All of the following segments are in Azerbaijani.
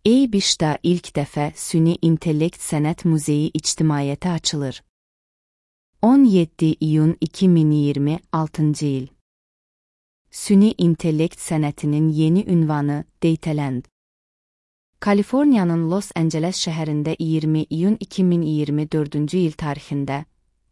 EIBİŞ'də ilk dəfə Süni İntellekt Sənət Muzeyi ictimaiyyətə açılır. 17 iyun 2026 il. Süni intellekt sənətinin yeni ünvanı Dataland. Kaliforniyanın Los Angeles şəhərində 20 iyun 2024 il tarixində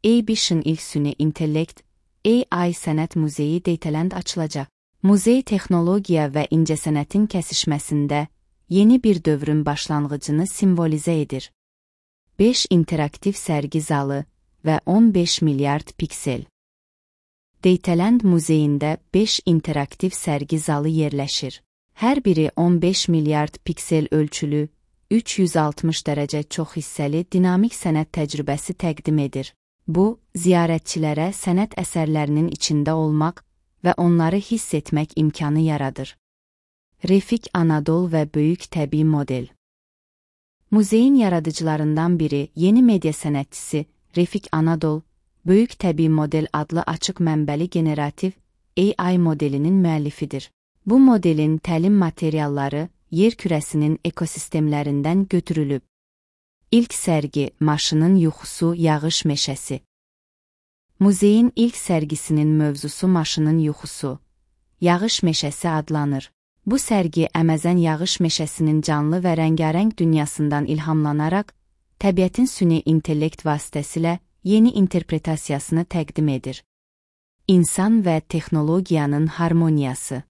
EIBİŞ'in ilk süni intellekt AI Sənət Muzeyi Dataland açılacaq. Muzey texnologiya və incəsənətin kəsişməsində yeni bir dövrün başlanğıcını simvolizə edir. 5 interaktiv sərgi zalı və 15 milyard piksel. Dataland muzeyində 5 interaktiv sərgi zalı yerləşir. Hər biri 15 milyard piksel ölçülü, 360 dərəcə çox hissəli dinamik sənət təcrübəsi təqdim edir. Bu, ziyarətçilərə sənət əsərlərinin içində olmaq və onları hiss etmək imkanı yaradır. Refik Anadol və böyük təbii model. Muzeyin yaradıcılarından biri, yeni media sənətçisi Refik Anadol, böyük təbii model adlı açıq mənbəli generativ AI modelinin müəllifidir. Bu modelin təlim materialları yer kürəsinin ekosistemlərindən götürülüb. İlk sərgi Maşının yuxusu yağış meşəsi. Muzeyin ilk sərgisinin mövzusu Maşının yuxusu, yağış meşəsi adlanır. Bu sərgi Əməzən yağış meşəsinin canlı və rəngarəng dünyasından ilhamlanaraq, təbiətin süni intellekt vasitəsilə yeni interpretasiyasını təqdim edir. İnsan və texnologiyanın harmoniyası.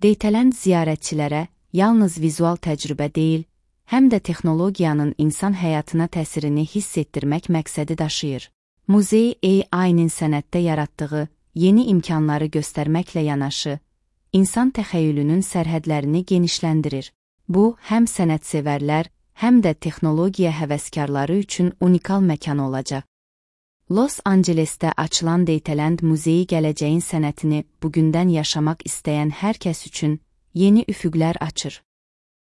Dataland ziyarətçilərə yalnız vizual təcrübə deyil, həm də texnologiyanın insan həyatına təsirini hiss etdirmək məqsədi daşıyır. Muzey AI-nin sənətdə yaratdığı yeni imkanları göstərməklə yanaşı, insan təxəyyülünün sərhədlərini genişləndirir. Bu, həm sənətsevərlər, həm də texnologiya həvəskarları üçün unikal məkan olacaq. Los Angelesdə açılan Dataland muzeyi gələcəyin sənətini bugündən yaşamaq istəyən hər kəs üçün yeni üfüqlər açır.